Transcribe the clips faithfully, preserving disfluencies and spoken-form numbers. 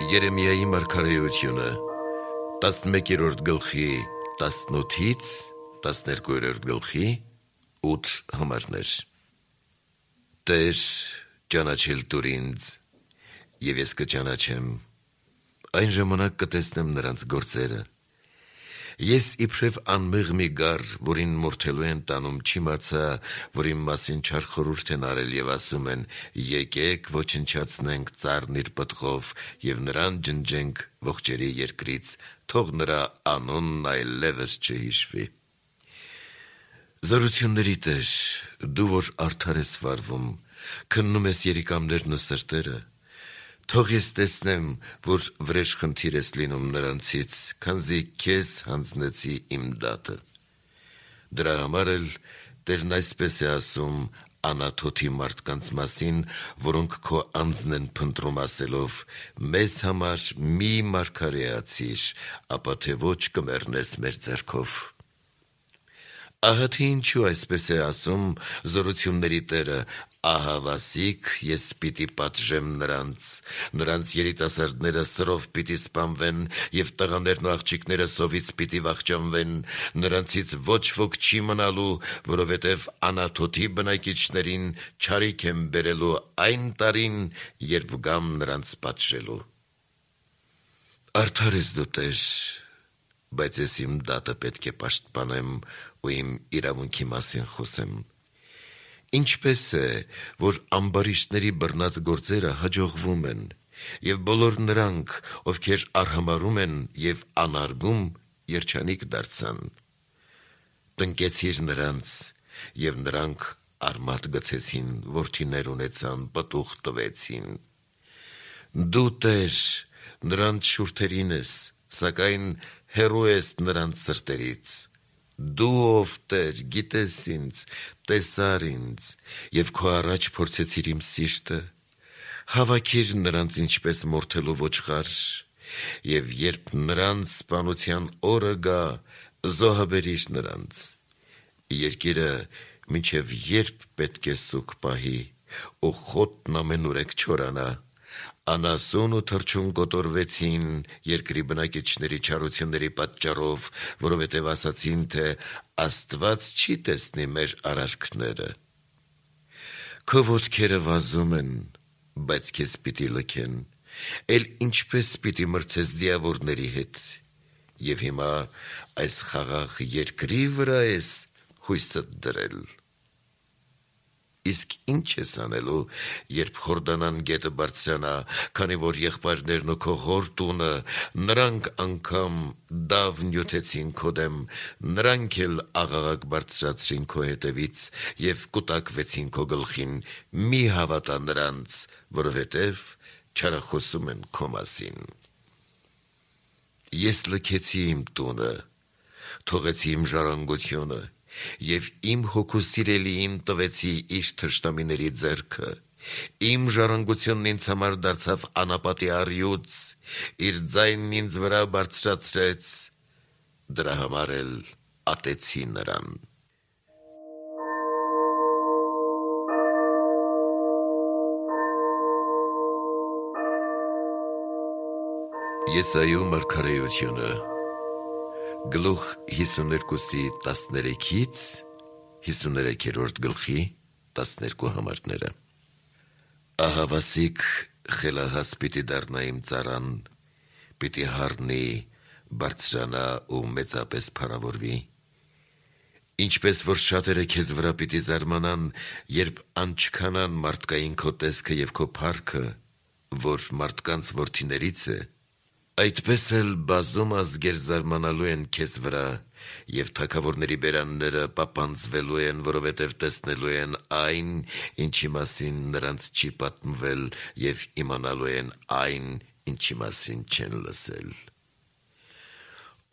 Երեմիայի մարգարեությունը տասնմեկերորդ գլխի տասնութից տասներկուերորդ գլխի ութ համարներ։ Տեր, ճանաչել տուր ինձ, և ես կճանաչեմ, այն ժամանակ կտեսնեմ նրանց գործերը։ Ես իբրև անմեղ մի գառ, որին մորթելու են տանում, չիմացա, որ իմ մասին չար խորհուրդ են արել և ասում են. եկեք ոչնչացնենք ծառն իր պտղով և նրան ջնջենք ողջերի երկրից, թող նրա անունն այլևս չհիշվի։ Զորությունների Տեր, դու որ արդար ես վարվում, քննում ես երիկամներն ու սրտերը, թող ես տեսնեմ, որ վրեժխնդիր ես լինում նրանցից, քանզի քեզ հանձնեցի իմ դատը։ Դրա համար էլ Տերն այսպես է ասում Անաթոթի մարդկանց մասին, որոնք քո անձն են փնտրում ասելով. մեզ համար մի մարգարեացիր, ապա թե ոչ կմեռնես մեր ձեռքով։ Ահա թե ինչու այսպես է ասում Զորությունների Տերը. ահավասիկ ես պիտի պատժեմ նրանց, նրանց երիտասարդները սրով պիտի սպանվեն և տղաներն ու աղջիկները սովից պիտի վախճանվեն, նրանցից ոչ ոք չի մնալու, որովհետև Անաթոթի բնակիչներին չարիք եմ բերելու այն տարին, երբ գամ նրանց պատժելու։ Արդար ես դու, Տեր, բայց ես իմ դատը պետք է պաշտպանեմ ու իմ իրավունքի մասին խոսեմ։ Ինչպես է, որ ամբարիշտների բռնած գործերը հաջողվում են, և բոլոր նրանք, ովքեր արհամարհում են և անարգում, երջանիկ դարձան։ Տնկեցիր նրանց, և նրանք արմատ գցեցին, որդիներ ունեցան, պտուղ տվեցին։ Դու, Տեր, նրանց շուրթերին ես, սակայն հեռու ես նրանց սրտերից։ Դու, ով Տեր, գիտես ինձ, տեսար ինձ, և քո առաջ փորձեցիր իմ սիրտը։ Հավաքիր նրանց ինչպես մորթելու ոչխար, և երբ նրանց սպանության օրը գա, զոհաբերիր նրանց։ Երկիրը մինչև երբ պետք է սուգ պահի, ու խոտն ամենուրեք չորանա։ Անասուն ու թռչուն կոտորվեցին երկրի բնակիչների չարությունների պատճառով, որովհետև ասացին, թե Աստված չի տեսնի մեր արարքները։ Քո ոտքերը վազում են, բայց քեզ պիտի լքեն, էլ ինչպես պիտի մրցես ձիավորների հետ, և հիմա այս խաղաղ երկրի վրա ես հույսդ դրել։ Իսկ ինչ ես անելու, երբ Խորդանան գետը բարձրանա, քանի որ եղբայրներն ու քո հոր տունը, նրանք անգամ դավ նյութեցին քո դեմ, նրանք էլ աղաղակ բարձրացրին քո հետևից և կուտակվեցին քո գլխին, մի հավատա նրանց, որովհետև չարախոսում են քո մասին։ Ես լքեցի իմ տունը, թողեցի իմ ժառանգությունը, և իմ հոգու սիրելիին տվեցի իր թշնամիների ձեռքը։ Իմ ժառանգությունն ինձ համար դարձավ անապատի առյուծ, իր ձայնն ինձ վրա բարձրացրեց, դրա համար էլ ատեցի նրան։ Եսայու մարգարեությունը գլուխ հիսուներկուսի տասներեքից հիսուներեքերորդ գլխի տասներկու համարները։ Ահավասիկ խելահաս պիտի դառնա իմ ծառան, պիտի հառնի, բարձրանա ու մեծապես փառավորվի։ Ինչպես որ շատերը քեզ վրա պիտի զարմանան, երբ անչքանան մարդկային քո տեսքը և քո փառքը, որ մարդկանց որդիներից է, այդպես էլ բազում ազգեր զարմանալու են քեզ վրա, և թագավորների բերանները պապանձվելու են, որովհետև տեսնելու են այն, ինչի մասին նրանց չի պատմվել, և իմանալու են այն, ինչի մասին չեն լսել։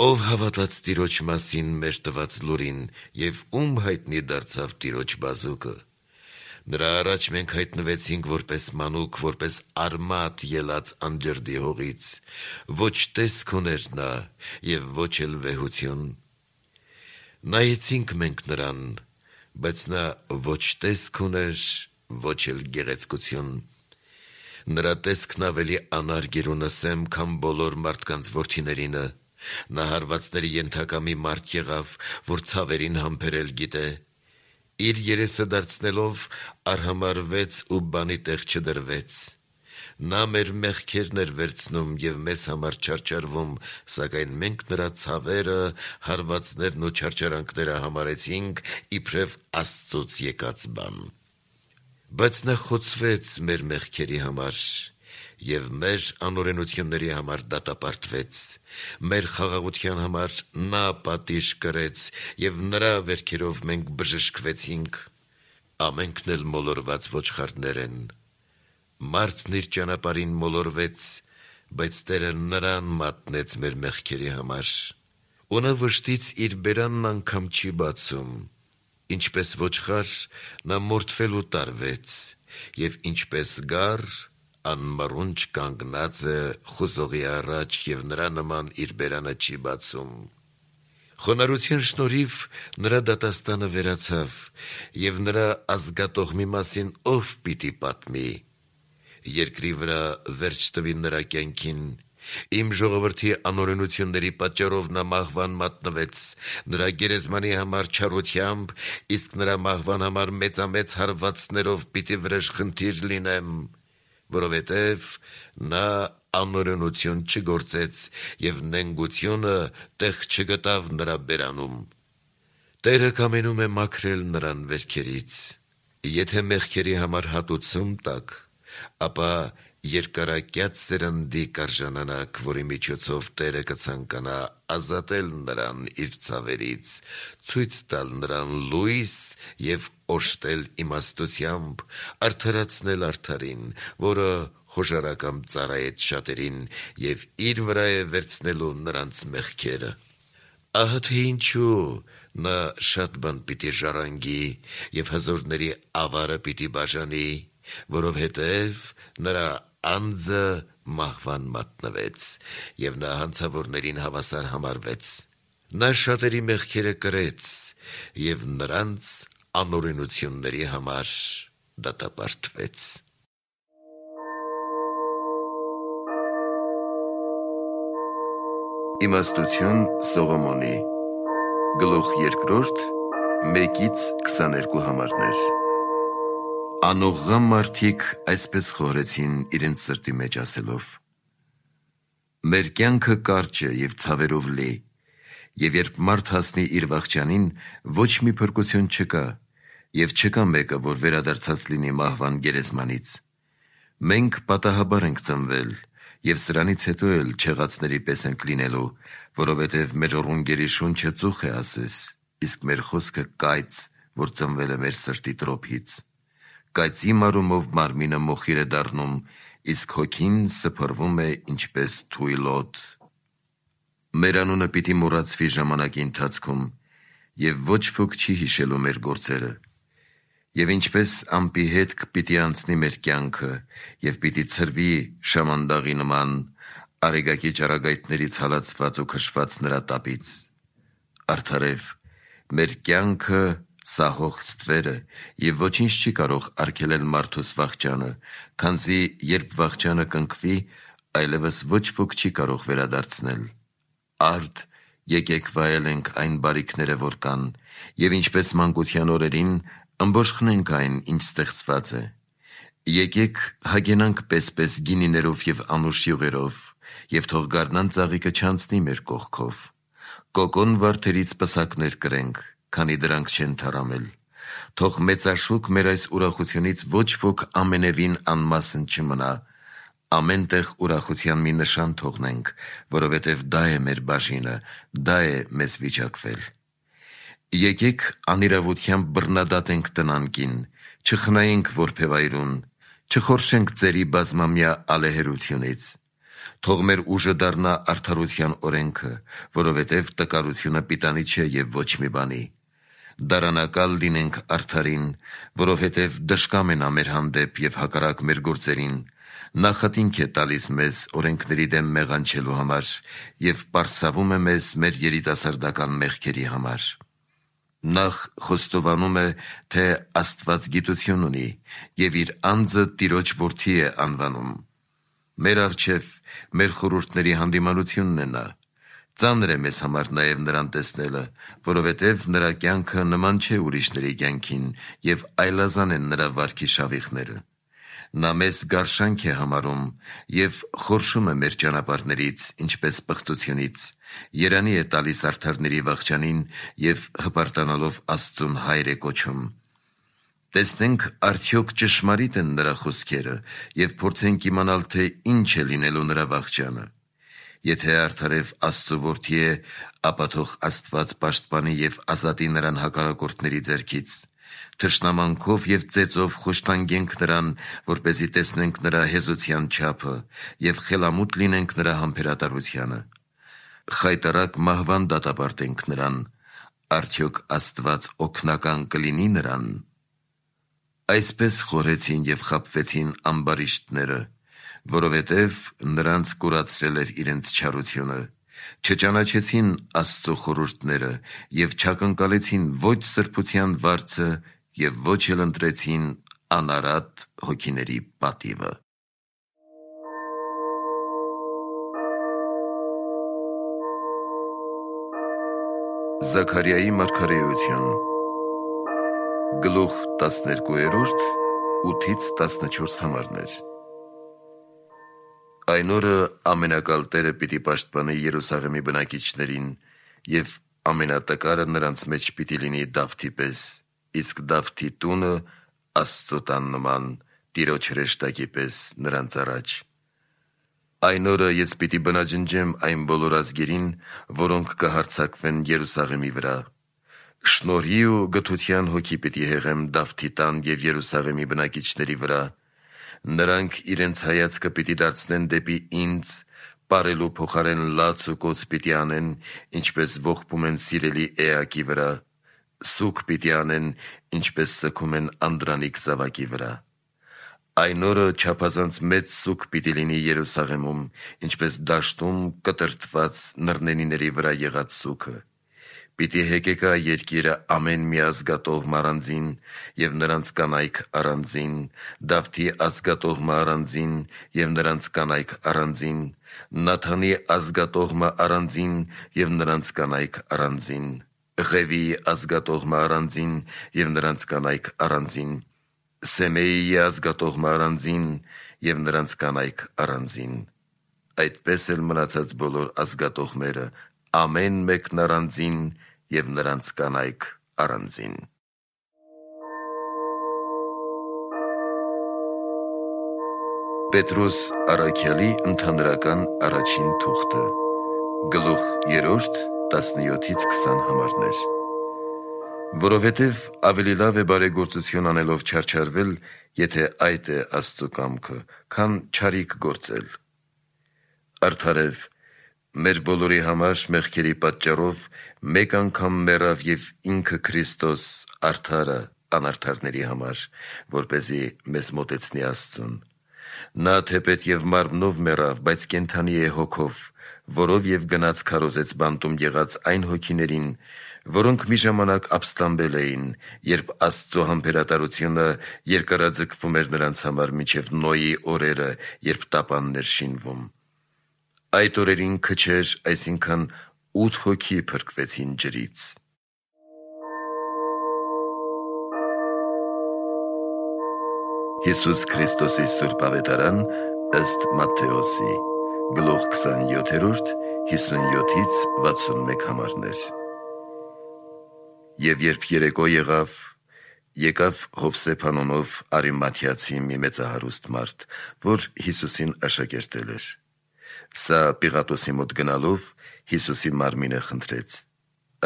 Ով հավատաց Տիրոջ մասին մեր տված լուրին, և ում հայտնի դարձավ Տիրոջ բազուկը։ Նրա առաջ մենք հայտնվեցինք որպես մանուկ, որպես արմատ ելած անջրդի հողից, ոչ տեսք ուներ նա և ոչ էլ վեհություն։ Նայեցինք մենք նրան, բայց նա ոչ տեսք ուներ, ոչ էլ գեղեցկություն։ Նրա տեսքն ավելի անարգերունը սեմ, քան բոլոր մարդկանց որդիներինը, նա հարվածների ենթակա մի մարդ եղավ, որ ցավերին համբերել գիտե, իր երեսը դարձնելով արհամարվեց ու բանի տեղ չդրվեց, նա մեր մեղքերն էր վերցնում և մեզ համար չարչարվում, սակայն մենք նրա ցավերը, հարվածներն ու չարչարանքները համարեցինք իբրև Աստծուց եկած բան, բայց նա խոցվեց մեր մեղքերի համար և մեր անօրենությունների համար դատապարտվեց, մեր խաղաղության համար նա պատիժ կրեց և նրա վերքերով մենք բժշկվեցինք, ամենքն էլ մոլորված ոչխարներ են, մարդն իր ճանապարհին մոլորվեց, բայց Տերը նրան մատնեց մեր մեղքերի համար, ու նա վշտից իր բերանն անգամ չի բացում, ինչպես ոչխար նա մորթվելու տարվեց, և ինչպես գառ անմռունչ կանգնած է խուզողի առաջ և նրա նման իր բերանը չի բացում, խոնարհության շնորհիվ նրա դատաստանը վերացավ, և նրա ազգատողմի մասին ով պիտի պատմի, երկրի վրա վերջ տվի նրա կյանքին, իմ ժողովրդի անօրենությունների պատճառով նա մահվան մատնվեց, նրա գերեզմանի համար չարությամբ, իսկ նրա մահվան համար մեծամեծ հարվածներով պիտի վրեժխնդիր լինեմ, որովհետև նա անօրենություն չգործեց և նենգությունը տեղ չգտավ նրա բերանում, Տերը կամենում է մաքրել նրան վերքերից, եթե մեղքերի համար հատուցում տաք, ապա երկարակյաց սերնդի կարժանանաք, որի միջոցով Տերը կցանկանա ազատել նրան իր ցավերից, ցույց տալ նրան լույս և օժտել իմաստությամբ, արդարացնել արդարին, որը խոժարակամ ծառայեց շատերին և իր վրա է վերցնելու նրանց մեղքերը, ահա թե ինչու նա շատ բան պիտի ժառանգի և հզորների ավարը պիտի բաժանի, որովհետև նրա անձը մահվան մատնվեց, և նա հանցավորներին հավասար համարվեց, նա շատերի մեղքերը կրեց և նրանց անօրենությունների համար դատապարտվեց։ Իմաստություն Սողոմոնի Գլուխ երկրորդ մեկից քսաներկու համարներ Անողղա մարդիկ այսպես խորհեցին իրենց սրտի մեջ ասելով. Մեր կյանքը կարճ է և ցավերով լի, և երբ մարդ հասնի իր վախճանին, ոչ մի փրկություն չկա, և չկա մեկը, որ վերադարձած լինի մահվան գերեզմանից։ Մենք պատահաբար ենք ծնվել, և սրանից հետո էլ չեղածների պես ենք լինելու, որովհետև մեր ռունգերի շունչը ծուխ է ասես, իսկ մեր խոսքը կայծ, որ ծնվել է մեր սրտի տրոփից։ Կայծի մարումով մարմինը մոխիր է դառնում, իսկ հոգին սփռվում է ինչպես թույլ օդ։ Մեր անունը պիտի մոռացվի ժամանակի ընթացքում, և ոչ ոք չի հիշելու մեր գործերը։ Եվ ինչպես ամպի հետք պիտի անցնի մեր կյանքը, և պիտի ցրվի շամանդաղի նման, արեգակի ճառագայթներից հալածված ու քշված նրա տապից։ Արդարև, մեր կյանքը սահող ստվեր է, և ոչինչ չի կարող արգելել մարդուս վախճանը, քանզի երբ վախճանը կնքվի, այլևս ոչ ոք չի կարող վերադարձնել։ Արդ, եկեք վայելենք այն բարիքները, որ կան, և ինչպես մանկության օրերին, ըմբոշխնենք այն, ինչ ստեղծված է։ Եկեք հագենանք պես-պես գինիներով և անուշ յուղերով, և թող գարնան ծաղիկը չանցնի մեր կողքով։ Կոկոն վարդերից պսակներ կրենք, քանի դրանք չեն թառամել։ Թող մեծաշուկ մեր այս ուրախությունից ոչ ոք ամենևին անմասն չմնա։ Ամեն տեղ ուրախության մի նշան թողնենք, որովհետև դա է մեր բաժինը, դա է մեզ վիճակվել։ Եկեք անիրավությամբ բռնադատենք տնանկին, չխնայենք որբևայրուն, չխորշենք ծերի բազմամյա ալեհերությունից։ Թող մեր ուժը դառնա արդարության օրենքը, որովհետև տկարությունը պիտանի չէ և ոչ մի բանի։ Դարանակալ լինենք արդարին, որովհետև դժկամ է նա մեր հանդեպ և հակառակ մեր գործերին, նախատինք է տալիս մեզ օրենքների դեմ մեղանչելու համար և պարսավում է մեզ մեր երիտասարդական մեղքերի համար։ Նախ խոստովանում է, թե Աստված գիտություն ունի և իր անձը Տիրոջ որդի է անվանում։ Մեր առջև մեր խորհուրդների հանդիմանությունն է նա։ Ծանր է մեզ համար նաև նրան տեսնելը, որովհետև նրա կյանքը նման չէ ուրիշների կյանքին և այլազան են նրա վարքի շավիղները։ Նա մեզ գարշանք է համարում և խորշում է մեր ճանապարհներից, ինչպես պղծությունից, երանի է տալիս արդարների վախճանին և հպարտանալով Աստծուն հայր է կոչում։ Տեսնենք արդյոք ճշմարիտ են նրա խոսքերը և փորձենք իմանալ, թե ինչ է լինելու նրա վախճանը։ Եթե արդարև Աստծու որդի է, ապա թող Աստված պաշտպանի և ազատի նրան հակառակորդների ձեռքից։ Թշնամանքով և ծեծով խոշտանգենք նրան, որպեսզի տեսնենք նրա հեզության չափը և խելամուտ լինենք նրա համբերատարությանը։ Խայտառակ մահվան դատապարտենք նրան, արդյոք Աստված օգնական կլինի նրան։ Այսպես խորհեցին և խաբվեցին ամբարիշտները, որովհետև նրանց կուրացրել էր իրենց չարությունը, չճանաչեցին Աստծու խորհուրդները և չակնկալեցին ոչ սրբության վարձը և ոչ էլ ընտրեցին անարատ հոգիների պատիվը։ Զաքարիայի մարգարեություն, գլուխ տասներկուերորդ, ութից տասնչորս համարներ։ Այն օրը ամենակալ Տերը պիտի պաշտպանի Երուսաղեմի բնակիչներին, և ամենատկարը նրանց մեջ պիտի լինի Դավթի պես, իսկ Դավթի տունը Աստծու տան նման, Տիրոջ հրեշտակի պես նրանց առաջ։ Այն օրը ես պիտի բնաջնջեմ այն բոլոր ազգերին, որոնք կհարձակվեն Երուսաղեմի վրա։ Շնորհի ու գթության հոգի պիտի հեղեմ Դավթի տան և Երուսաղեմի բնակիչների վրա։ Նրանք իրենց հայացքը պիտի դարձնեն դեպի ինձ, պարելու փոխարեն լաց ու կոծ պիտի անեն, ինչպես ողբում են սիրելի էակի վրա, սուգ պիտի անեն, ինչպես սգում են անդրանիկ զավակի վրա։ Այն օրը չափազանց մեծ սուգ պիտի լինի Երուսաղեմում, ինչպես դաշտում կտրտված նռնենիների վրա եղած սուգը։ Պիտի հեկեկա երկիրը ամեն մի ազգատոհմը առանձին, և նրանց կանայք առանձին, Դավթի ազգատոհմը առանձին, և նրանց կանայք առանձին, Նաթանի ազգատոհմը առանձին, և նրանց կանայք առանձին, Ղևիի ազգատոհմը առանձին, և նրանց կանայք առանձին, Սեմեիի ազգատոհմը առանձին, և նրանց կանայք առանձին։ Այդպես էլ մնացած բոլոր ազգատոհմերը, ամեն մեկն առանձին, և նրանց կանայք առանձին։ Պետրոս առաքյալի ընդհանրական առաջին թուղթը, գլուխ երրորդ, տասնյոթից քսան համարներ։ Որովհետև ավելի լավ է բարեգործություն անելով չարչարվել, եթե այդ է Աստծու կամքը, քան չարիք գործել։ Արդարև մեր բոլորի համար մեղքերի պատճառով մեկ անգամ մեռավ և ինքը Քրիստոս արդարը անարդարների համար, որպեսզի մեզ մոտեցնի Աստծուն։ Նա թեպետ և մարմնով մեռավ, բայց կենդանի է հոգով, որով և գնաց քարոզեց բանտում եղած այն հոգիներին, որոնք մի ժամանակ ապստամբել էին, երբ Աստծու համբերատարությունը երկարաձգվում էր նրանց համար մինչև Նոյի օրերը, երբ տապանն էր շինվում։ Այդ օրերին քչեր, այսինքն ութ հոգի փրկվեցին ջրից։ Հիսուս Քրիստոսի Սուրբ Ավետարան ըստ Մատթեոսի, գլուխ քսանյոթերորդ, հիսունյոթից վաթսունմեկ համարներ։ Եվ երբ երեկո եղավ, եկավ Հովսեփ անունով Արիմաթեացի մի մեծահարուստ մարդ, որ Հիսուսին աշակերտել էր։ Սա Պիղատոսի մոտ գնալով Հիսուսի մարմինը խնդրեց։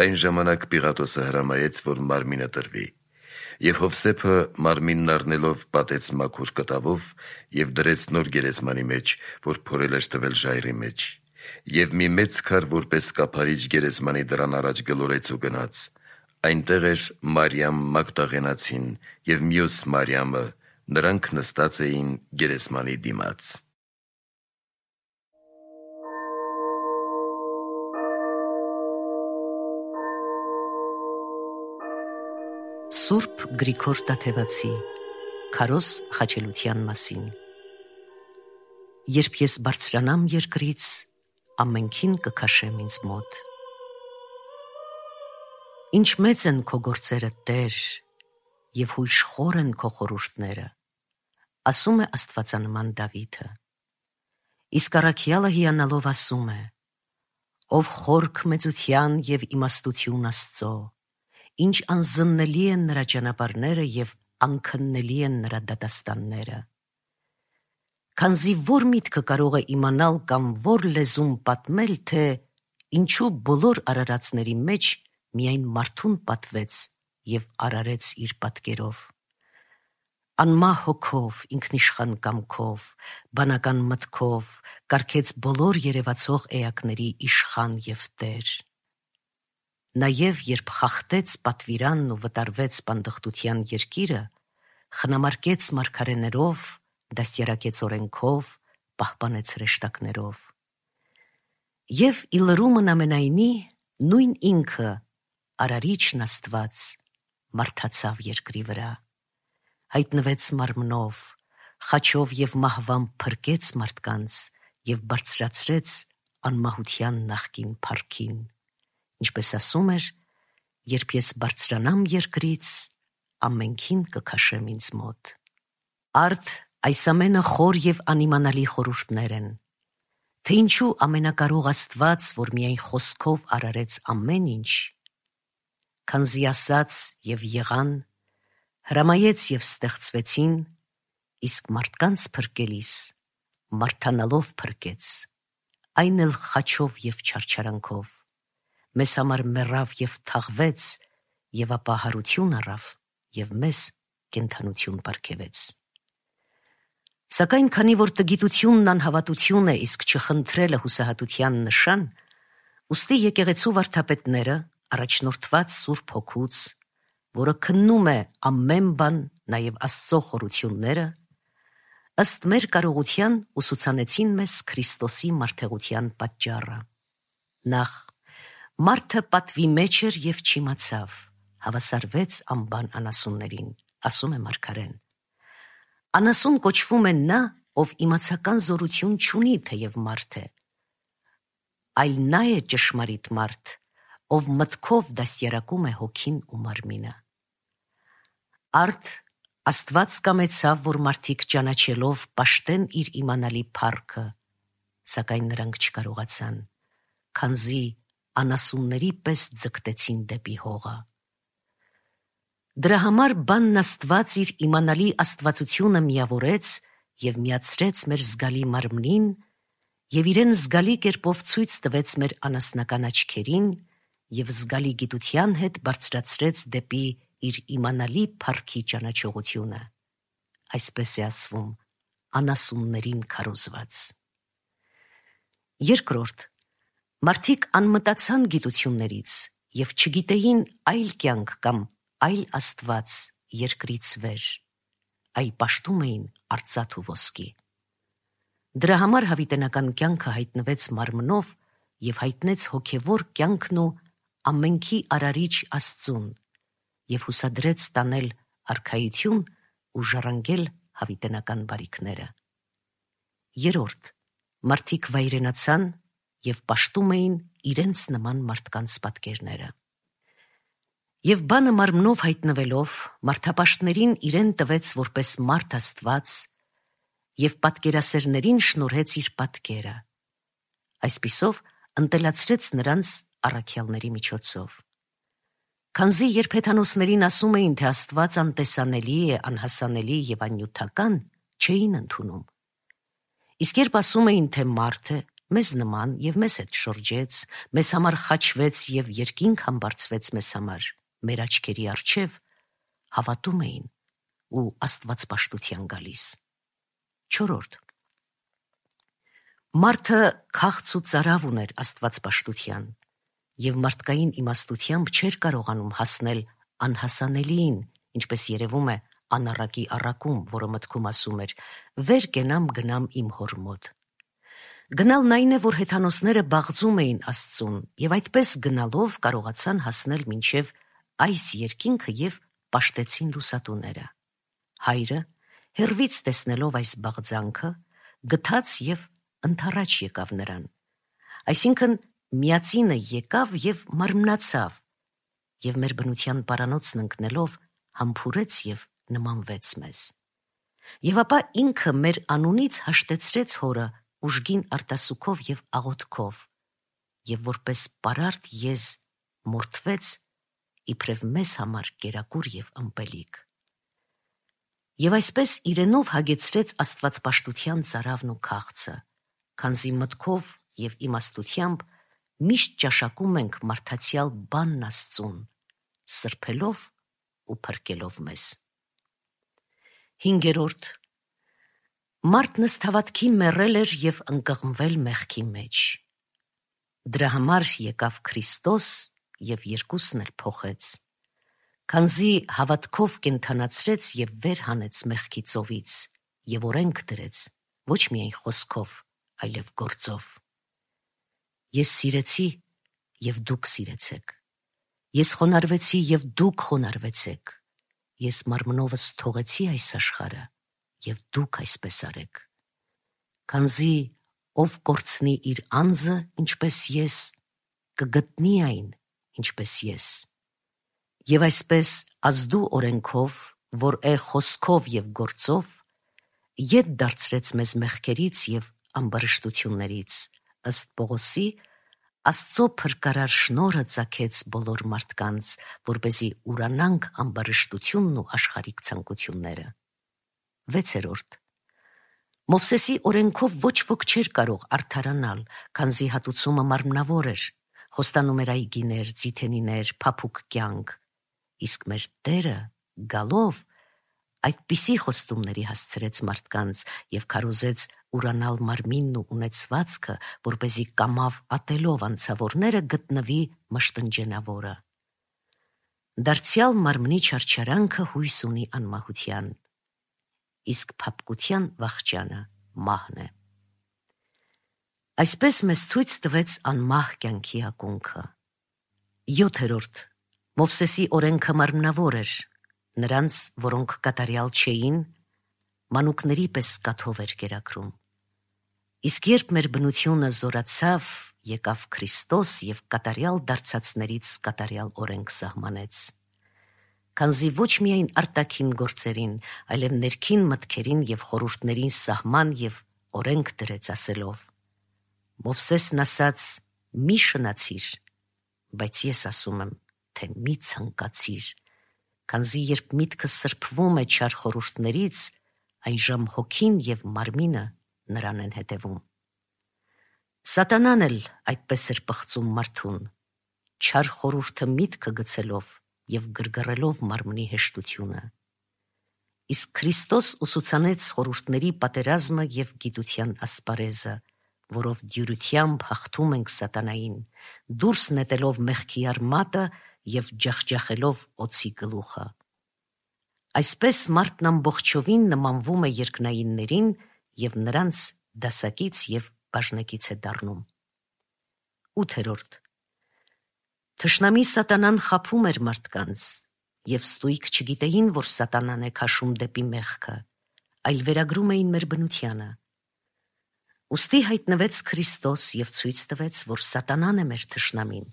Այն ժամանակ Պիղատոսը հրամայեց, որ մարմինը տրվի։ Եվ Հովսեփը մարմինն առնելով պատեց մաքուր կտավով և դրեց նոր գերեզմանի մեջ, որ փորել էր տվել ժայռի մեջ։ Եվ մի մեծ քար որպես կափարիչ գերեզմանի դռան առաջ գլորեց ու գնաց։ Այնտեղ էր Մարիամ Մագդաղենացին և մյուս Մարիամը, նրանք նստած էին գերեզմանի դիմաց։ Սուրբ Գրիգոր Տաթևացի Քարոզ խաչելության մասին։ Երբ ես բարձրանամ երկրից, ամենքին կքաշեմ ինձ մոտ։ Ինչ մեծ են քո գործերը, Տեր, և հույժ խոր են քո խորհուրդները, ասում է աստվածանման Դավիթը։ Իսկ առաքյալը հիանալով ասում է. ով խորք մեծության և իմաստություն Աստծո, ինչ անզննելի են նրա ճանապարհները և անքննելի են նրա դատաստանները։ Քանզի որ միտքը կարող է իմանալ կամ որ լեզուն պատմել, թե ինչու բոլոր արարածների մեջ միայն մարդուն պատվեց և արարեց իր պատկերով։ Անմահ հոգով, ինքնիշխան կամքով, բանական մտքով կարգեց բոլոր երևացող էակների իշխան և Տեր։ Նաև երբ խախտեց պատվիրանն ու վտարվեց պանդխտության երկիրը, խնամարկեց մարգարեներով, դաստիարակեց օրենքով, պահպանեց հրեշտակներով։ Եվ ի լրումն ամենայնի, նույն ինքը, Արարիչն Աստված, մարդացավ երկրի վրա, հայտնվեց մարմնով, խաչով և մահվամբ փրկեց մարդկանց և բարձրացրեց անմահության նախկին փառքին, ինչպես ասում էր. երբ ես բարձրանամ երկրից, ամենքին կքաշեմ ինձ մոտ։ Արդ այս ամենը խոր և անիմանալի խորհուրդներ են, թե ինչու ամենակարող Աստված, որ միայն խոսքով արարեց ամեն ինչ, քանզի ասաց և եղան, հրամայեց և ստեղծվեցին, իսկ մարդկանց փրկելիս մարդանալով փրկեց, այն էլ խաչով և չարչարանքով, մեզ համար մեռավ և թաղվեց, և ապա հարություն առավ և մեզ կենդանություն պարգևեց։ Սակայն քանի որ տգիտությունն անհավատություն է, իսկ չխնդրելը հուսահատության նշան, ուստի եկեղեցու վարդապետները, առաջնորդված Սուրբ Հոգուց, որը քննում է ամեն բան, նաև Աստծո խորությունները, ըստ մեր կարողության ուսուցանեցին մեզ Քրիստոսի մարդեղության պատճառը։ Նախ, մարդը պատվի մեջ էր և չիմացավ, հավասարվեց անբան անասուններին, ասում է մարգարեն։ Անասուն կոչվում է նա, ով իմացական զորություն չունի, թեև մարդ է, այլ նա է ճշմարիտ մարդ, ով մտքով դաստիարակում է հոգին ու մարմինը։ Արդ Աստված կամեցավ, որ մարդիկ ճանաչելով պաշտեն իր իմանալի փառքը, սակայն նրանք չկարողացան, քանզի անասունների պես ձգտեցին դեպի հողը։ Դրա համար բանն Աստված իր իմանալի աստվածությունը միավորեց և միացրեց մեր զգալի մարմնին և իրեն զգալի կերպով ցույց տվեց մեր անասնական աչքերին և զգալի գիտության հետ բարձրացրեց դեպի իր իմանալի փառքի ճանաչողությունը, այսպես է ասվում, անասուններին քարոզված։ Երկրորդ, մարդիկ անմտացան գիտություններից և չգիտեին այլ կյանք կամ այլ Աստված երկրից վեր, այլ պաշտում էին արծաթ ու ոսկի։ Դրա համար հավիտենական կյանքը հայտնվեց մարմնով և հայտնեց հոգևոր կյանքն ու ամենքի արարիչ Աստծուն և հուսադրեց տանել արքայություն ու ժառանգել հավիտենական բարիքները։ Երրորդ, մարդիկ վայրենացան և պաշտում էին իրենց նման մարդկանց պատկերները։ Եվ բանը մարմնով հայտնվելով, մարդապաշտներին իրեն տվեց որպես մարդ Աստված և պատկերասերներին շնորհեց իր պատկերը, այսպիսով ընտելացրեց նրանց առաքյալների միջոցով։ Քանզի երբ հեթանոսներին ասում էին, թե Աստված անտեսանելի է, անհասանելի և աննյութական, չէին ընդունում։ Իսկ երբ ասում էին, թե մարդ է, մեզ նման և մեզ հետ շրջեց, մեզ համար խաչվեց և երկինք համբարձվեց մեզ համար, մեր աչքերի առջև, հավատում էին ու աստվածպաշտության գալիս։ Չորրորդ, մարդը քաղց ու ծարավ ուներ աստվածպաշտության և մարդկային իմաստությամբ չէր կարողանում հասնել անհասանելիին, ինչպես երևում է անառակի առակում, որը մտքում ասում էր. «Վեր կենամ գնամ իմ հոր մոտ»։ Գնալն այն է, որ հեթանոսները բաղձում էին Աստծուն և այդպես գնալով կարողացան հասնել մինչև այս երկինքը և պաշտեցին լուսատուները։ Հայրը, հեռվից տեսնելով այս բաղձանքը, գթաց և ընդառաջ եկավ նրան, այսինքն միածինը եկավ և մարմնացավ, և մեր բնության պարանոցն ընկնելով համբուրեց և նմանվեց մեզ։ Եվ ապա ինքը մեր անունից հաշտեցրեց հորը ուժգին արտասուքով և աղոթքով, և որպես պարարտ եզ մորթվեց իբրև մեզ համար կերակուր և ըմպելիք։ Եվ այսպես իրենով հագեցրեց աստվածպաշտության ծարավն ու քաղցը, քանզի մտքով և իմաստությամբ միշտ ճաշակում ենք մարդացյալ բանն Աստծուն, սրբելով ու փրկելով մեզ։ Հինգերորդ. մարդն ըստ հավատքի մեռել էր և ընկղմվել մեղքի մեջ։ Դրա համար եկավ Քրիստոս և երկուսն էլ փոխեց, քանզի հավատքով կենդանացրեց և վեր հանեց մեղքի ծովից և օրենք դրեց, ոչ միայն խոսքով, այլև գործով։ Ես սիրեցի, և դուք սիրեցեք։ Ես խոնարհվեցի, և դուք խոնարհվեցեք։ Ես մարմնովս թողեցի այս աշխարհը, և դուք այսպես արեք։ Քանզի ով կորցնի իր անձը, ինչպես ես, կգտնի այն, ինչպես ես։ Եվ այսպես ազդու օրենքով, որ է խոսքով և գործով, ետ դարձրեց մեզ մեղքերից և ամբարշտություններից, ըստ Պողոսի, Աստծո փրկարար շնորհը ծագեց բոլոր մարդկանց, որպեսզի ուրանանք ամբարշտությունն ու աշխարհիկ ցանկությունները։ Վեցերորդ. Մովսեսի օրենքով ոչ ոք չէր կարող արդարանալ, քանզի հատուցումը մարմնավոր էր, խոստանում էր այգիներ, ձիթենիներ, փափուկ կյանք, իսկ մեր Տերը գալով այդպիսի խոստումների հասցրեց մարդկանց և քարոզեց ուրանալ մարմինն ու ունեցվածքը, որպեսզի կամավ ատելով անցավորները գտնվի մշտնջենավորը։ Դարձյալ մարմնի չարչարանքը հույս ունի անմահության, իսկ փափկության վախճանը մահն է։ Այսպես մեզ ցույց տվեց անմահ կյանքի ակունքը։ Յոթերորդ. Մովսեսի օրենքը մարմնավոր էր, նրանց, որոնք կատարյալ չէին, մանուկների պես կաթով էր կերակրում։ Իսկ երբ մեր բնությունը զորացավ, եկավ Քրիստոս և կատարյալ դարձածներից կատարյալ օրենք սահմանեց։ Քանզի ոչ միայն արտաքին գործերին, այլև ներքին մտքերին և խորհուրդներին սահման և օրենք դրեց ասելով. Մովսեսն ասաց. «Մի շնացիր», բայց ես ասում եմ, թե մի ցանկացիր, քանզի երբ միտքը սրբվում է չար խորհուրդներից, այժմ հոգին և մարմինը նրան են հետևում։ Սատանան էլ այդպես էր պղծում մարդուն, չար խորհուրդը միտքը գցելով և գրգռելով մարմնի հեշտությունը։ Իսկ Քրիստոս ուսուցանեց խորհուրդների պատերազմը և գիտության ասպարեզը, որով դյուրությամբ հաղթում ենք սատանային, դուրս նետելով մեղքի արմատը և ջախջախելով օձի գլուխը։ Այսպես մարդն ամբողջովին նմանվում է երկնայիններին և նրանց դասակից և բաժնեկից է դառնում։ Ութերորդ. Թշնամի սատանան խաբում էր մարդկանց, և ստույգ չգիտեին, որ սատանան է քաշում դեպի մեղքը, այլ վերագրում էին մեր բնությանը։ Ուստի հայտնվեց Քրիստոս և ցույց տվեց, որ սատանան է մեր թշնամին,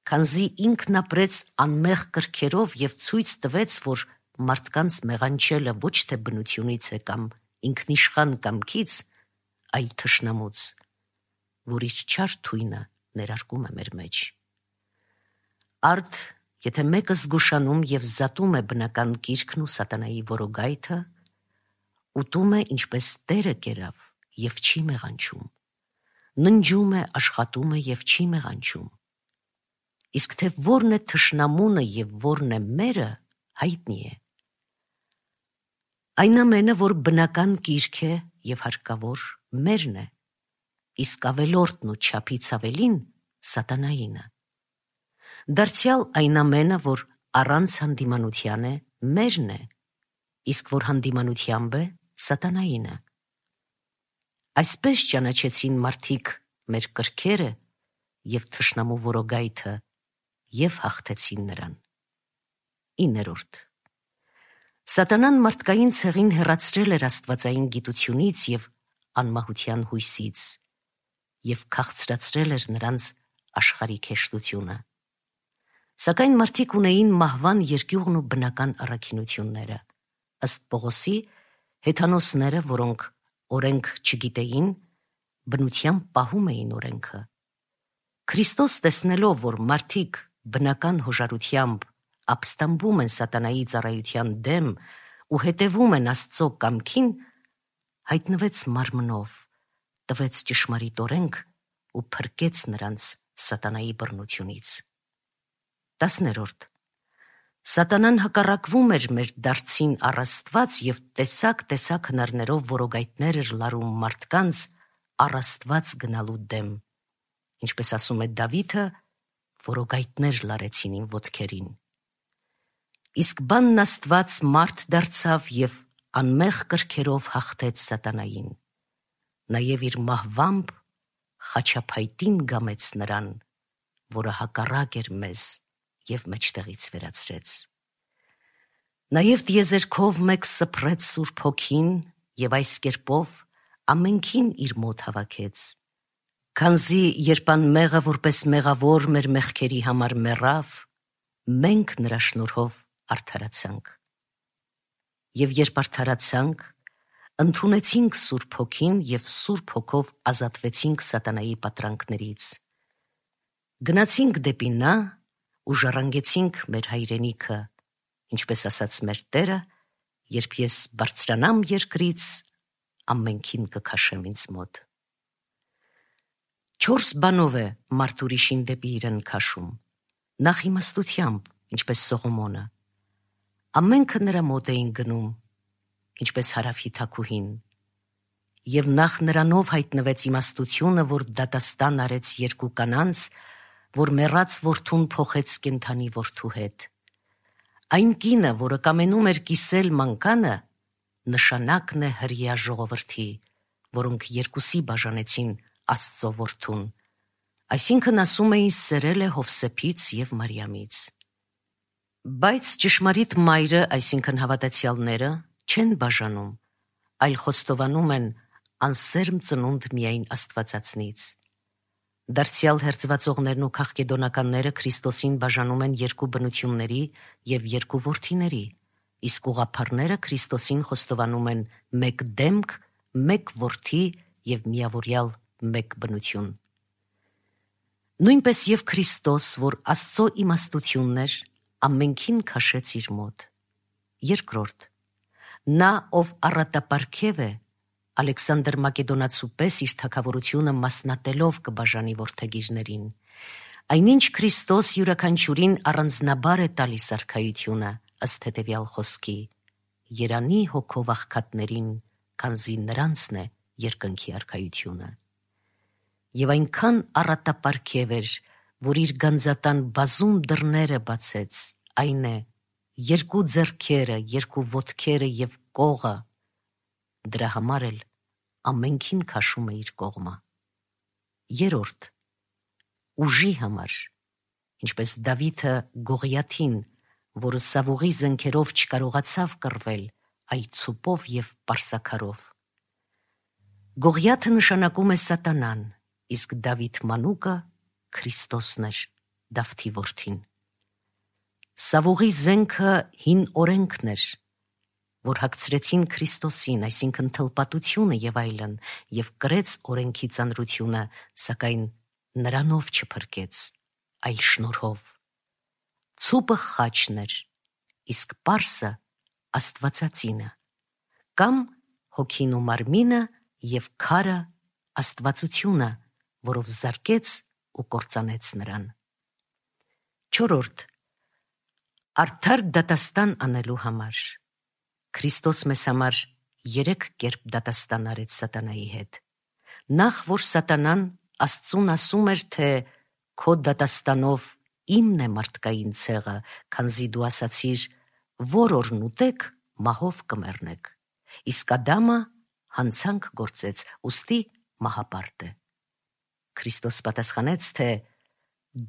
քանզի ինքն ապրեց անմեղ կրքերով և ցույց տվեց, որ մարդկանց մեղանչելը ոչ թե բնությունից է կամ ինքնիշխան կամքից, այլ թշնամուց, որ իր չար թույնը ներարկում է մեր մեջ։ Արդ, եթե մեկը զգուշանում և զատում է բնական կիրքն ու սատանայի որոգայթը, ուտում է ինչպես Տերը կերավ և չի մեղանչում, ննջում է, աշխատում է և չի մեղանչում։ Իսկ թե որն է թշնամունը և որն է մերը, հայտնի է։ Այն ամենը, որ բնական կիրք է և հարկավոր, մերն է, իսկ ավելորդն ու չափից ավելին սատանայինը։ Դարձյալ այն ամենը, որ առանց հանդիմանության է, մերն է, իսկ որ հանդիմանությամբ է, սատանայինը։ Այսպես ճանաչեցին մարդիկ մեր կրքերը և թշնամու որոգայթը և հաղթեցին նրան։ Իներորդ. Սատանան մարդկային ցեղին հեռացրել էր աստվածային գիտությունից և անմահության հույսից և քաղցրացրել էր նրանց աշխարհիկ հեշտությունը։ Սակայն մարդիկ ունեին մահվան երկյուղն ու բնական առաքինությունները։ Ըստ Պողոսի, հեթանոսները, որոնք օրենք չգիտեին, բնությամբ պահում էին օրենքը։ Քրիստոս, տեսնելով, որ մարդիկ բնական հոժարությամբ ապստամբում են սատանայի ծառայության դեմ ու հետևում են Աստծո կամքին, հայտնվեց մարմնով, տվեց ճշմարիտ օրենք ու փրկեց նրանց սատանայի բռնությունից։ Տասներորդ. Սատանան հակառակվում էր մեր դարձին առ Աստված և տեսակ-տեսակ հնարներով որոգայթներ էր լարում մարդկանց առ Աստված գնալու դեմ, ինչպես ասում է Դավիթը, որոգայթներ լարեցին իմ ոտքերին։ Իսկ բանն Աստված մարդ դարձավ և անմեղ կրքերով հաղթեց սատանային, նաև իր մահվամբ խաչափայտին գամեց նրան, որը հակառակ էր մեզ և մեջտեղից վերացրեց։ Նաև տիեզերքով մեկ սփռեց Սուրբ Հոգին և այս կերպով ամենքին իր մոտ հավաքեց, քանզի երբ անմեղը որպես մեղավոր մեր մեղքերի համար մեռավ, մենք նրա շնորհով արդարացանք։ Եվ երբ արդարացանք, ընդունեցինք Սուրբ Հոգին և Սուրբ Հոգով ազատվեցինք սատանայի պատրանքներից։ Գնացինք դեպի նա ու ժառանգեցինք մեր հայրենիքը, ինչպես ասաց մեր Տերը, երբ ես բարձրանամ երկրից, ամենքին կքաշեմ ինձ մոտ։ Չորս բանով է մարդ ուրիշին դեպի իրեն քաշում. նախ իմաստությամբ, ինչպես Սողոմոնը, ամենքը նրա մոտ էին գնում, ինչպես Հարավի թագուհին, և նախ նրանով հայտնվեց իմաստությունը, որ դատաստան արեց երկու կանանց, որ մեռած որդուն փոխեց կենդանի որդու հետ։ Այն կինը, որը կամենում էր կիսել մանկանը, նշանակն է հրեա ժողովրդի, որոնք երկուսի բաժանեցին Աստծո որդուն, այսինքն ասում էին սերել է Հովսեփից և Մարիամից։ Բայց ճշմարիտ մայրը, այսինքն հավատացյալները, չեն բաժանում, այլ խոստովանում են անսերմ ծնունդ միայն Աստվածածնից։ Դարձյալ հերձվածողներն ու քաղկեդոնականները Քրիստոսին բաժանում են երկու բնությունների և երկու որդիների, իսկ ուղղափառները Քրիստոսին խոստովանում են մեկ դեմք, մեկ որդի և միավորյալ մեկ բնություն։ Նույնպես և Քրիստոս, որ Աստծո իմաստությունն էր, ամենքին քաշեց իր մոտ։ Երկրորդ. նա, ով առատապարգև է, Ալեքսանդր Մակեդոնացու պես իր թագավորությունը մասնատելով կբաժանի որդեգիրներին, այնինչ Քրիստոս յուրաքանչյուրին առանձնաբար է տալիս արքայությունը, ըստ հետևյալ խոսքի. երանի հոգով աղքատներին, քանզի նրանցն է երկնքի արքայությունը։ Եվ այնքան առատապարգև էր, որ իր գանձատան բազում դռները բացեց, այն է, երկու ձեռքերը, երկու ոտքերը և կողը, դրա համար էլ ամենքին քաշում է իր կողմը։ Երորդ. ուժի համար, ինչպես Դավիթը Գողիաթին, որը Սավուղի զենքերով չկարողացավ կռվել, այլ ցուպով և պարսաքարով։ Գողիաթը նշանակում է սատանան, իսկ Դավիթ մանուկը Քրիստոսն էր, Դավթի որդին։ Սավուղի զենքը հին օրենքն էր, որ հագցրեցին Քրիստոսին, այսինքն թլպատությունը և այլն, և կրեց օրենքի ծանրությունը, սակայն նրանով չփրկեց, այլ շնորհով։ Ցուպը խաչն էր, իսկ պարսը Աստվածածինը, կամ հոգին ու մարմինը և քարը Աստվածությունը, որով զարկեց ու կործանեց նրան։ Չորրորդ. արդար դատաստան անելու համար։ Քրիստոս մեզ համար երեք կերպ դատաստան արեց սատանայի հետ։ Նախ, որ սատանան Աստծուն ասում էր, թե քո դատաստանով իմն է մարդկային ցեղը, քանզի դու ասացիր, որ օրն ուտեք, մահով կմեռնեք, իսկ Ադամը հանցանք գործեց, ուստի մահապարտ է։ Քրիստոս պատասխանեց, թե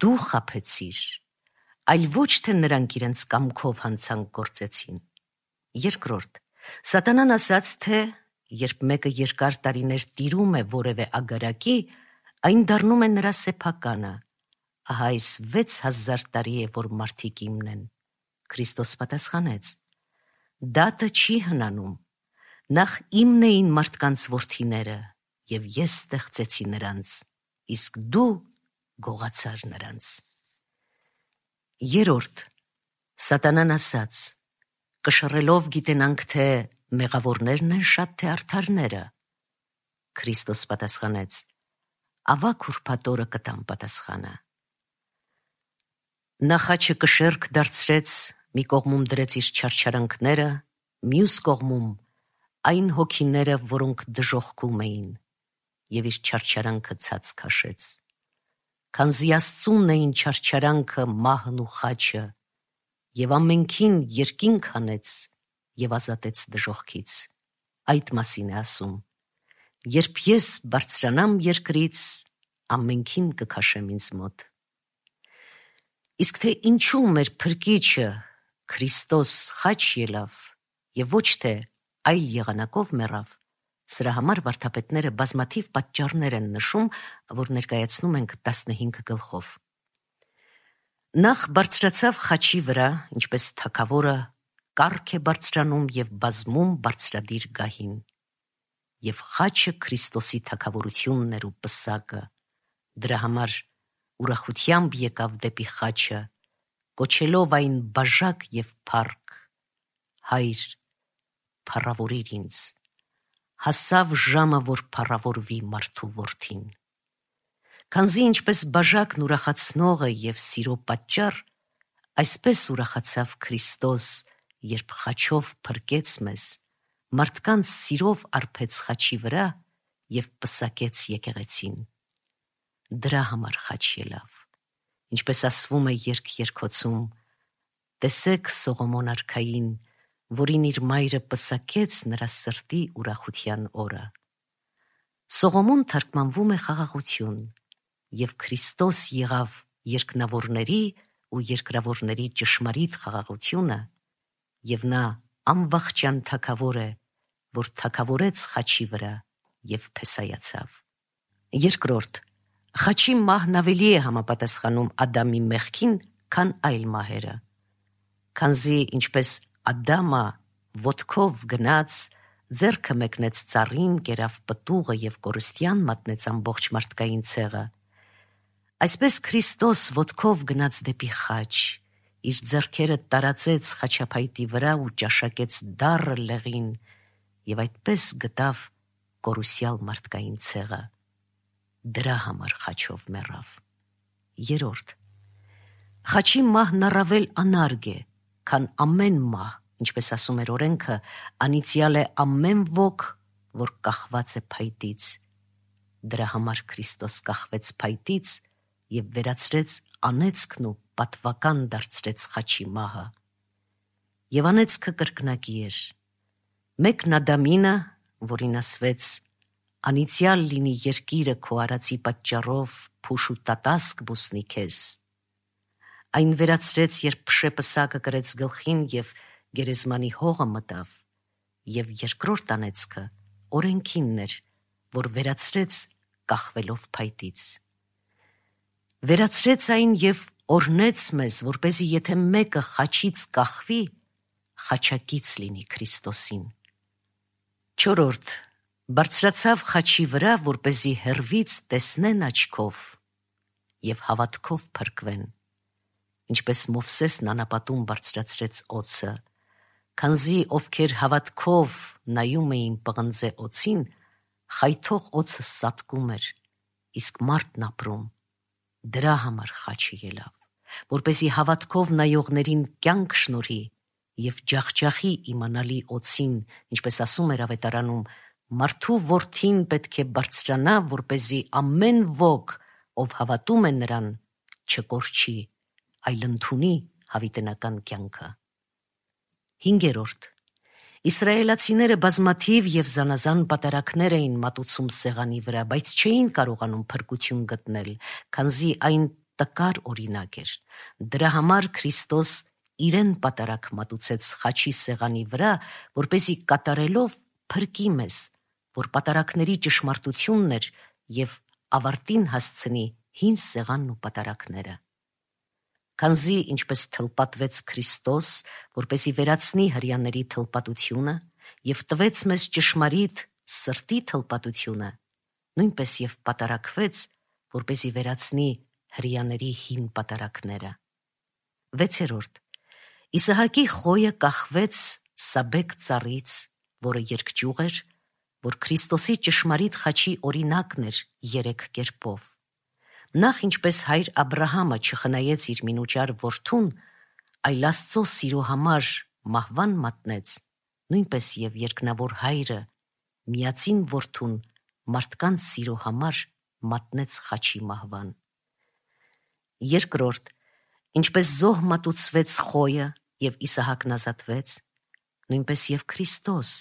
դու խաբեցիր, այլ ոչ թե նրանք իրենց կամքով հանցանք գործեցին։ Երկրորդ. Սատանան ասաց, թե երբ մեկը երկար տարիներ տիրում է որևէ ագարակի, այն դառնում է նրա սեփականը։ Ահա այս վեց հազար տարի է, որ մարդիկ իմն են։ Քրիստոս պատասխանեց. Դատը չի հնանում, նախ իմն էին մարդկանց որդիները, և ես ստեղծեցի նրանց, իսկ դու գողացար նրանց։ Երորդ, Սատանան ասաց. կշռելով գիտենանք, թե մեղավորներն են շատ, թե արդարները։ Քրիստոս պատասխանեց. ավագ ուրբաթ օրը կտամ պատասխանը։ Նա խաչը կշեռք դարձրեց, մի կողմում դրեց իր չարչարանքները, մյուս կողմում այն հոգիները, որոնք դժոխքում էին, և իր չարչարանքը ցած քաշեց։ Քանզի Աստծունն էին չարչարանքը, մահն ու խաչը, և ամենքին երկինք հանեց և ազատեց դժոխքից։ Այդ մասին է ասում. երբ ես բարձրանամ երկրից, ամենքին կքաշեմ ինձ մոտ։ Իսկ թե ինչու մեր փրկիչը Քրիստոս խաչ ելավ և ոչ թե այլ եղանակով մեռավ, սրա համար վարդապետները բազմաթիվ պատճառներ են նշում, որ ներկայացնում ենք տասնհինգ գլխով։ Նախ բարձրացավ խաչի վրա, ինչպես թագավորը կառք է բարձրանում և բազմում բարձրադիր գահին։ Եվ խաչը Քրիստոսի թագավորությունն էր ու պսակը, դրա համար ուրախությամբ եկավ դեպի խաչը, կոչելով այն բաժակ և փառք. Հայր, փառավորիր ինձ, հասավ ժամը, որ փառավորվի մարդու որդին։ Քանզի ինչպես բաժակն ուրախացնող է և սիրո պատճառ, այսպես ուրախացավ Քրիստոս, երբ խաչով փրկեց մեզ, մարդկանց սիրով արբեց խաչի վրա և պսակեց եկեղեցին։ Դրա համար խաչ ելավ, ինչպես ասվում է երգ երգոցում. տեսեք Սողոմոն արքային, որին իր մայրը պսակեց նրա սրտի ուրախության օրը։ Սողոմոն թարգմանվում է խաղաղություն, և Քրիստոս եղավ երկնավորների ու երկրավորների ճշմարիտ խաղաղությունը, և նա անվախճան թագավոր է, որ թագավորեց խաչի վրա և փեսայացավ։ Երկրորդ, խաչի մահն ավելի է համապատասխանում Ադամի մեղքին, քան այլ մահերը։ Քանզի ինչպես Ադամը ոտքով գնաց, ձեռքը մեկնեց ծառին, կերավ պտուղը և կորստյան մատնեց ամբողջ մարդկային ցեղը, այսպես Քրիստոս ոտքով գնաց դեպի խաչ, իր ձեռքերը տարածեց խաչափայտի վրա ու ճաշակեց դառը լեղին, և այդպես գտավ կորուսյալ մարդկային ցեղը։ Դրա համար խաչով մեռավ։ Երորդ, խաչի մահն առավել անարգ է, քան ամեն մահ, ինչպես ասում էր օրենքը, անիծյալ է ամեն ոք, որ կախված է փայտից։ Դրա համար Քրիստոս կախվեց փայտից և վերացրեց անեծքն ու պատվական դարձրեց խաչի մահը։ Եվ անեծքը կրկնակի էր։ Մեկն Ադամինը, որին ասվեց. անիծյալ լինի երկիրը քո արածի պատճառով, փուշ ու տատասկ բուսնի քեզ։ Այն վերացրեց, երբ փշեպսակը կրեց գլխին և գերեզմանի հողը մտավ, և երկրորդ անեծքը օրենքինն էր, որ վերացրեց կախվելով փայտից։ Վերացրեց այն և օրհնեց մեզ, որպեսզի եթե մեկը խաչից կախվի, խաչակից լինի Քրիստոսին։ Չորրորդ, բարձրացավ խաչի վրա, որպեսզի հեռվից տեսնեն աչքով և հավատքով փրկվեն, ինչպես Մովսեսն անապատում բարձրացրեց օձը, քանզի ովքեր հավատքով նայում էին պղնձե օձին, խայթող օձը սատկում էր, իսկ մարդն ապրում։ Դրա համար խաչը ելավ, որպեսզի հավատքով նայողներին կյանք շնորհի և ջախջախի իմանալի օձին, ինչպես ասում էր ավետարանում. մարդու որդին պետք է բարձրանա, որպեսզի ամեն ոք, ով հավատում է նրան, չկորչի, այլ ընդունի հավիտենական կյանքը։ Հինգերորդ, իսրայելացիները բազմաթիվ և զանազան պատարագներ էին մատուցում սեղանի վրա, բայց չէին կարողանում փրկություն գտնել, քանզի այն տկար օրինակ էր։ Դրա համար Քրիստոս իրեն պատարագ մատուցեց խաչի սեղանի վրա, որպեսզի կատարելով փրկի մեզ, որ պատարակների ճշմարտությունն էր և ավարտին հասցնի հին սեղանն ու պատարակները։ Քանզի ինչպես թլպատվեց Քրիստոս, որպեսզի վերացնի հրեաների թլպատությունը և տվեց մեզ ճշմարիտ սրտի թլպատությունը, նույնպես և պատարակվեց, որպեսզի վերացնի հրեաների հին պատարակները։ Վեցերորդ. Իսահակի խոյը կախվեց Սաբեկ ծառից, որը երկճյուղ էր, որ Քրիստոսի ճշմարիտ խաչի օրինակն էր երեք կերպով։ Նախ ինչպես հայր Աբրահամը չխնայեց իր մինուճար որդուն, այլ Աստծո սիրո համար մահվան մատնեց, նույնպես և երկնավոր հայրը միածին որդուն մարդկանց սիրո համար մատնեց խաչի մահվան։ Երկրորդ, ինչպես զոհ մատուցվեց խոյը և Իսահակն ազատվեց, նույնպես և Քրիստոս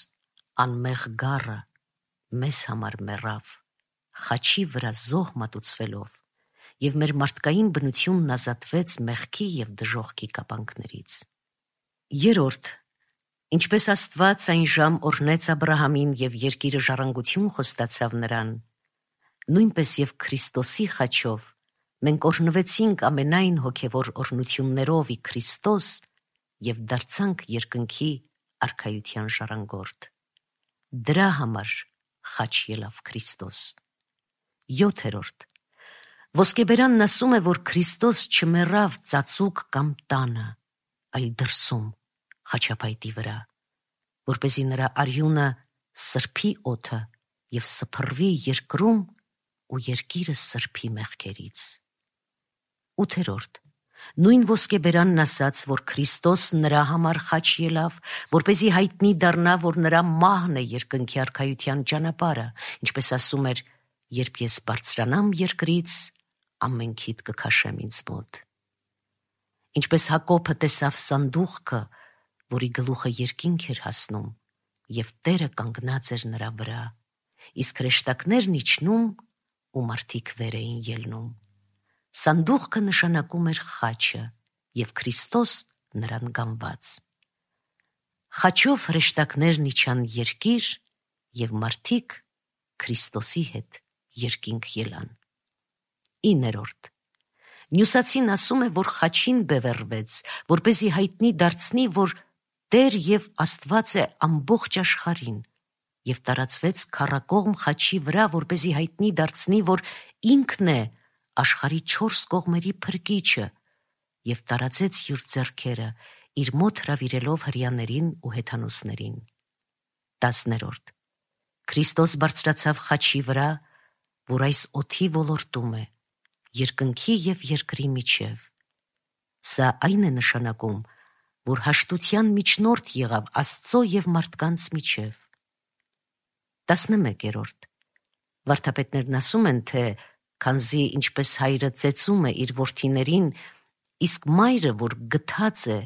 անմեղ գառը մեզ համար մեռավ, խաչի վրա զոհ մատուցվելով, և մեր մարդկային բնությունն ազատվեց մեղքի և դժոխքի կապանքներից։ Երորդ, ինչպես Աստված այն ժամ օրհնեց Աբրահամին և երկիրը ժառանգություն խոստացավ նրան, նույնպես և Քրիստոսի խաչով մենք օրհնվեցինք ամենայն հոգևոր օրհնություններով ի Քրիստոս և դարձանք երկնքի արքայության ժառանգորդ։ Դրա համար խաչ ելավ Քրիստոս։ Յոթերորդ, Ոսկեբերանն ասում է, որ Քրիստոս չմեռավ ծածուկ կամ տանը, այլ դրսում, խաչափայտի վրա, որպեսզի նրա արյունը սրբի օդը և սփռվի երկրում ու երկիրը սրբի մեղքերից։ Ութերորդ, նույն ոսկեբերանն ասաց, որ Քրիստոս նրա համար խաչ ելավ, որպեսզի հայտնի դառնա, որ նրա մահն է երկնքի արքայության ճանապարհը, ինչպես ասում էր. «Երբ ես բարձրանամ երկրից, ամենքիդ կքաշեմ ինձ մոտ»։ Ինչպես Հակոբը տեսավ սանդուղքը, որի գլուխը երկինք էր հասնում, և Տերը կանգնած էր նրա վրա, իսկ հրեշտակներն իջնում ու մարդիկ վեր էին ելնում։ Սանդուղքը նշանակում էր խաչը և Քրիստոս նրան գանված։ Խաչով հրեշտակներն իջան երկիր և մարդիկ Քրիստոսի հետ երկինք ելան։ Իներորդ, Նյուսացին ասում է, որ խաչին բևեռվեց, որպեսզի հայտնի դարձնի, որ Տեր և Աստված է ամբողջ աշխարհին, և տարածվեց քառակողմ խաչի վրա, որպեսզի հայտնի դարձնի, որ ինքն է աշխարհի չորս կողմերի փրկիչը, և տարածեց իր ձեռքերը, իր մոտ հրավիրելով հրեաներին ու հեթանոսներին։ Տասներորդ, Քրիստոս բարձրացավ խաչի վրա, որ այս օդի ոլորտում է, երկնքի և երկրի միջև։ Սա այն է նշանակում, որ հաշտության միջնորդ եղավ Աստծո և մարդկանց միջև։ Տասնմեկերորդ, վարդապետներն ասում են, թե քանզի ինչպես հայրը ծեծում է իր որդիներին, իսկ մայրը, որ գթած է,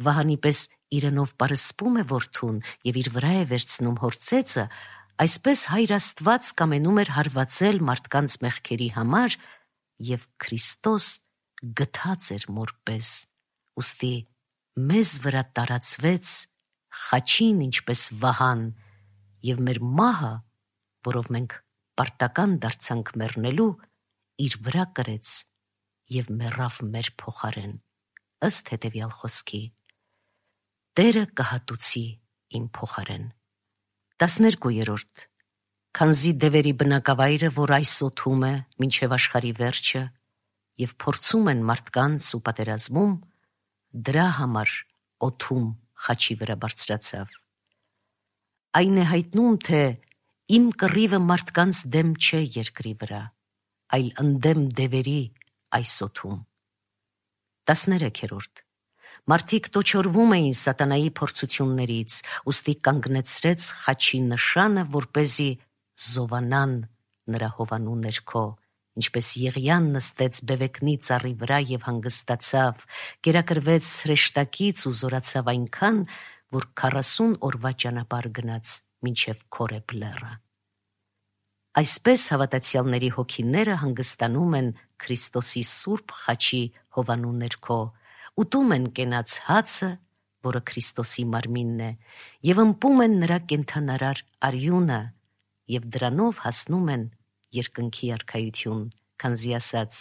վահանի պես իրենով պարսպում է որդուն և իր վրա է վերցնում հոր ծեծը, այսպես հայր Աստված կամենում էր հարվածել մարդկանց մեղքերի համար, և Քրիստոս գթած էր մոր պես, ուստի մեզ վրա տարածվեց խաչին ինչպես վահան, և մեր մահը, որով մենք պարտական դարձանք մեռնելու, իր վրա կրեց և մեռավ մեր փոխարեն, ըստ հետևյալ խոսքի. Տերը կհատուցի իմ փոխարեն։ Տասներկուերորդ, քանզի դևերի բնակավայրը, որ այս օդում է մինչև աշխարհի վերջը, և փորձում են մարդկանց ու պատերազմում, դրա համար օդում խաչի վրա բարձրացավ։ Այն է հայտնում, թե իմ կռիվը մարդկանց դեմ չէ երկրի վրա, այլ ընդդեմ դևերի այս օդում։ Տասներեքերորդ, մարդիկ տոչորվում էին սատանայի փորձություններից, ուստի կանգնեցրեց խաչի նշանը, որպեսզի զովանան նրա հովանու ներքո, ինչպես Եղիան նստեց բևեկնի ծառի վրա և հանգստացավ, կերակրվեց հրեշտակից ու զորացավ այնքան, որ քառասուն օրվա ճանապարհ գնաց մինչև Քորեբ լեռը։ Այսպես հավատացյալների հոգիները հանգստանում են Քրիստոսի սուրբ խաչի հովանու ներքո, ուտում են կենաց հացը, որը Քրիստոսի մարմինն է, և ըմպում են նրա կենդանարար արյունը, եւ դրանով հասնում են երկնքի արքայություն, քանզի ասաց.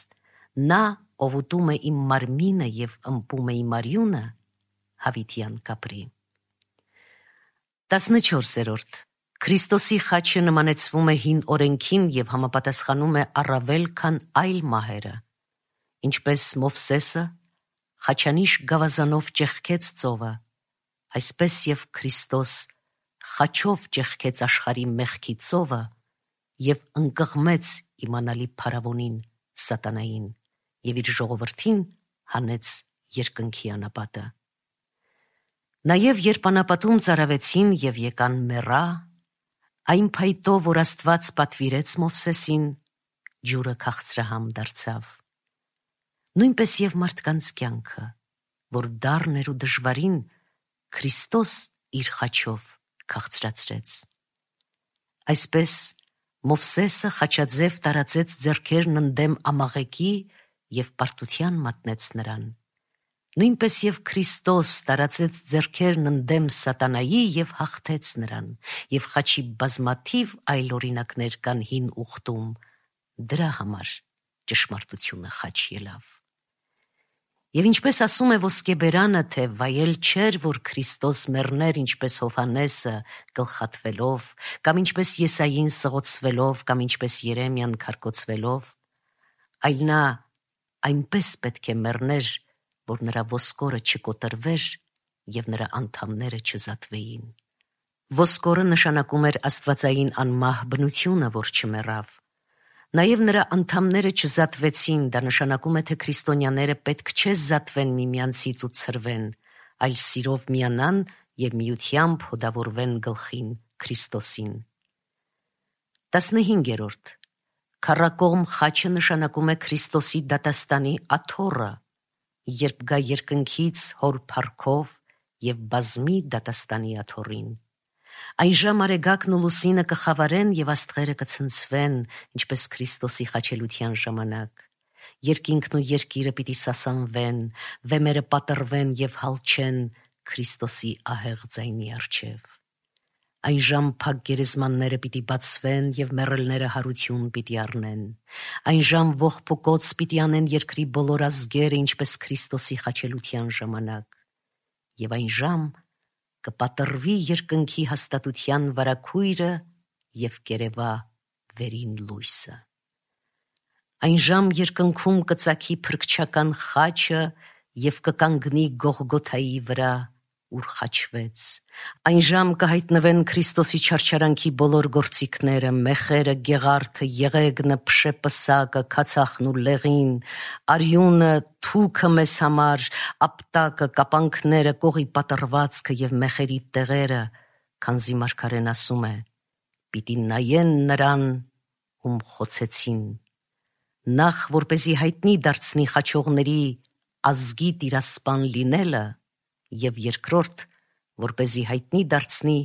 նա, ով ուտում է իմ մարմինը եւ ըմպում է իմ արյունը, հավիտյան կապրի։ տասնչորսերորդ. Քրիստոսի խաչը նմանեցվում է հին օրենքին եւ համապատասխանում է առավել քան այլ մահերը, ինչպես Մովսեսը խաչանիշ գավազանով ճեղքեց ծովը, այսպես եւ Քրիստոս խաչով ճեղքեց աշխարհի մեղքի ծովը եւ ընկղմեց իմանալի փարավոնին սատանային եւ իր ժողովրդին հանեց երկնքի անապատը։ Նաեւ երբ անապատում ծարավեցին եւ եկան մեռա, այն փայտով, որ Աստված պատվիրեց Մովսեսին, ջուրը քաղցրահամ դարձավ։ Նույնպես եւ մարդկանց կյանքը, որ դառն էր ու դժվարին, Քրիստոս իր խաչով քաղցրացրեց։ Այսպես Մովսեսը խաչաձև տարածեց ձեռքերն ընդդեմ ամաղեկի եւ պարտության մատնեց նրան։ Նույնպես եւ Քրիստոս տարածեց ձեռքերն ընդդեմ սատանայի եւ հաղթեց նրան, եւ խաչի բազմաթիվ այլ օրինակներ կան հին ուխտում, դրա համար ճշմարտությունը խաչ ելավ։ Եվ ինչպես ասում է ոսկեբերանը, թե վայել չէր, որ Քրիստոս մեռներ ինչպես Հովհաննեսը գլխատվելով, կամ ինչպես Եսային սղոցվելով, կամ ինչպես Երեմիան քարկոծվելով, այլ նա այնպես պետք է մեռներ, որ նրա ոսկորը չկոտրվեր եւ նրա անդամները չզատվեին։ Ոսկորը նշանակում էր աստվածային անմահ բնությունը, որ չմեռավ։ Նաեւ նրա անդամները չզատվեցին, դա նշանակում է, թե քրիստոնյաները պետք չէ զատվեն միմյանցից ու ցրվեն, այլ սիրով միանան եւ միությամբ հոդավորվեն գլխին Քրիստոսին։ տասնհինգերորդ. Քառակողմ խաչը նշանակում է Քրիստոսի դատաստանի աթոռը, երբ գա երկնքից հոր փառքով եւ բազմի դատաստանի աթոռին։ Այն ժամ արեգակն ու լուսինը կխավարեն եւ աստղերը կցնցվեն, ինչպես Քրիստոսի խաչելության ժամանակ։ Երկինքն ու երկիրը պիտի սասանվեն, վեմերը պատռվեն եւ հալչեն Քրիստոսի ահեղ ձայնի առջև։ Այն ժամ փակ գերեզմանները պիտի բացվեն եւ մեռելները հարություն պիտի առնեն։ Այն ժամ ողբոքոց պիտի անեն երկրի բոլոր ազգերը, ինչպես Քրիստոսի խաչելության ժամանակ։ Եվ այն ժամ կպատրվի երկնքի հաստատության վարագույրը եւ կերևա վերին լույսը։ Այն ժամ երկնքում կծագի փրկչական խաչը եւ կկանգնի Գողգոթայի վրա, ուր խաչվեց։ Այն ժամ կհայտնվեն Քրիստոսի չարչարանքի բոլոր գործիքները, մեխերը, գեղարդը, եղեգնը, փշեպսակը, քացախն ու լեղին, արյունը, թուքը մեզ համար, ապտակը, կապանքները, կողի պատռվածքը եւ մեխերի տեղերը, քանզի մարգարեն ասում է. պիտի նայեն նրան, ում խոցեցին։ Նախ որպեսի հայտնի դարձնի խաչողների ազգի տիրասպան լինելը, եւ երկրորդ, որպեսզի հայտնի դարձնի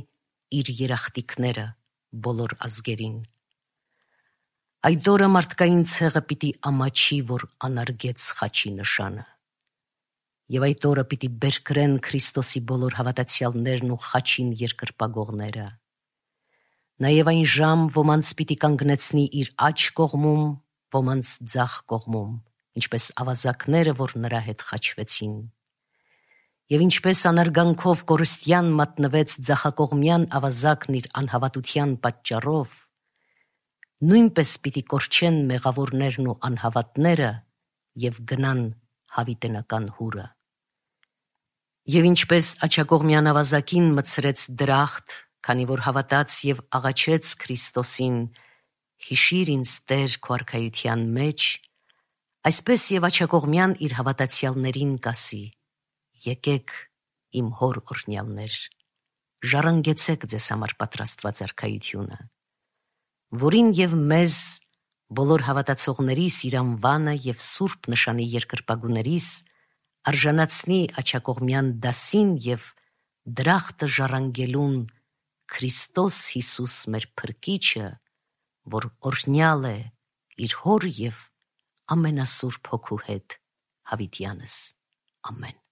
իր երախտիկները բոլոր ազգերին։ Այդ օրը մարդկային ցեղը պիտի ամաչի, որ անարգեց խաչի նշանը։ Եվ այդ օրը պիտի բերկրեն Քրիստոսի բոլոր հավատացյալներն ու խաչին երկրպագողները։ Նաեւ այն ժամ ոմանց պիտի կանգնեցնի իր աջ կողմում, ոմանց ձախ կողմում, ինչպես ավազակները, որ նրա հետ խաչվեցին։ Եվ ինչպես անարգանքով կորստյան մատնվեց ձախակողմյան ավազակն իր անհավատության պատճառով, նույնպես պիտի կորչեն մեղավորներն ու անհավատները եւ գնան հավիտենական հուրը։ Եվ ինչպես աջակողմյան ավազակին մտցրեց դրախտ, քանի որ հավատաց եւ աղաչեց Քրիստոսին, հիշիր ինձ Տեր քո արքայության մեջ, այսպես եւ աջակողմյան իր հավատացյալներին կասի. եկեք իմ հոր օրհնյալներ, ժառանգեցեք ձեզ համար պատրաստված արքայությունը, որին եւ մեզ բոլոր հավատացողներիս իր անվանը եւ սուրբ նշանի երկրպագուներիս արժանացնի աջակողմյան դասին եւ դրախտը ժառանգելուն Քրիստոս Հիսուս մեր փրկիչը, որ օրհնյալ է իր հոր եւ ամենասուրբ հոգու հետ հավիտյանս։ Ամեն։